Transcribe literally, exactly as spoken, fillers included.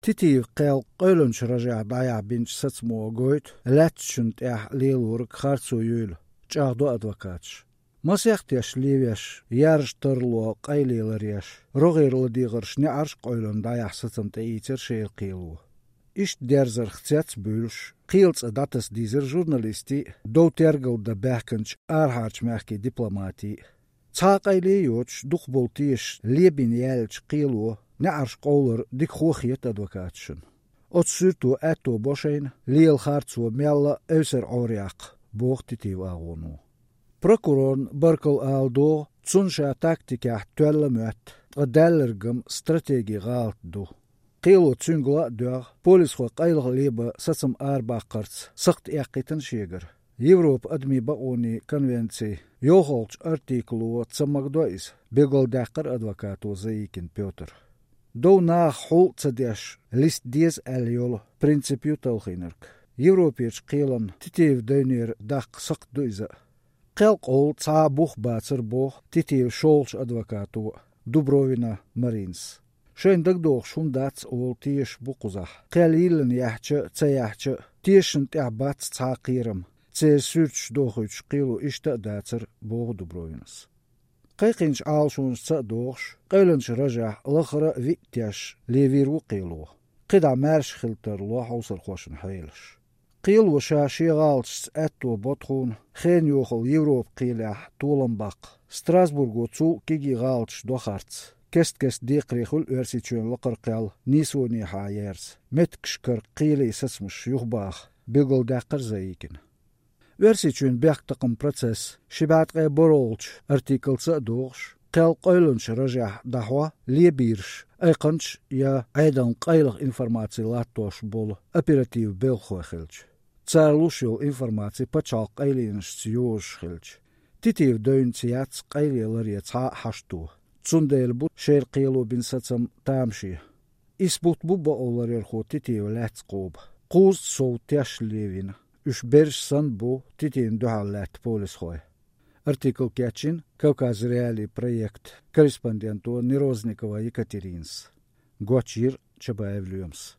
Titiv qel qoylunç raja daya binç satsmo goyt, letçünt eh lilurg khartsu yül, çağdu advokatş. Masyaxtiyaş liviyaş, yarıştırlo qaylilar roğirlı diğirş ne arş qoylun daya satsımta itir şeil qilu. İşt derzer xtsets bülş, qilts datas dizir jurnalisti, do tergılda behkınç arharç mehki diplomati. Çaqayli yoç, duqboltiş, liebin yelç qilu, ne arş qolur dik xoxiyet advokatşın. Ot sürtu eto boşayn, liel hartsu mella öser oriaq, boğtitiv ağunu. Prokurorn barkal aldo, tsunşa taktikah töllemöt, qadellergim strategi galtdu. Qilu tsüngla dög, polis xo qaylıg liba satsım arbaqarts, sıxt eqitin şeger. Европа адми баони конвенции ёхолч артиклу цамагдоис беголдақыр адвокату заикин Пётр. До на хул цадеш лист диз эльёл принципию талхинерк. Европеч қилан титив дойнер дақ сақ дуйза. Қелқ ол ца бух бацыр бух титив шолч адвокату Дубровина Маринс. Шен дагдох шундац ол тиеш букузах. Қелилен яхчы ца яхчы тиешін тябац ца қирым. Це сürç doxuç qilu işta datsır boğ Dubrovinas. Qayqinç alşunç ça doğş, qaylınç rajah lıxra vityaş leviru qilu. Qida marş xilter lo hausar xoşun haylish. Qilu şaşi galç etto botxun, xen yoxul Evrop qilah tolambaq. Strasburgo cu kigi galç doxarts. Kest kest diqrixul versiçön laqırqal nisoni hayers. Metkşkır qili sasmış yuxbaq. Bigol daqır zayikin. Versiçün bəxtaqım proses, şibatqay borolç, artikelsa doğş, qel qoylunç rajah dahwa, liebirş, ayqınç ya aydan qaylıq informasiya lattoş bol, operativ belxoxilç. Çarluş yol informasiya paçal qayliniş tsiyoş xilç. Titiv döynçiyats qayliyalarya ca haştu. Tsundel bu şer qilu bin satsam tamşi. İsbut bu baolar xo titiv lats qob. Quz sov tyaş levin. Üç berş san bu titin duhallat polis xoy. Artikel Kachin, Kavkaz Reali Projekt, korrespondentu Niroznikova Yekaterins. Gochir Чабаев Люмс.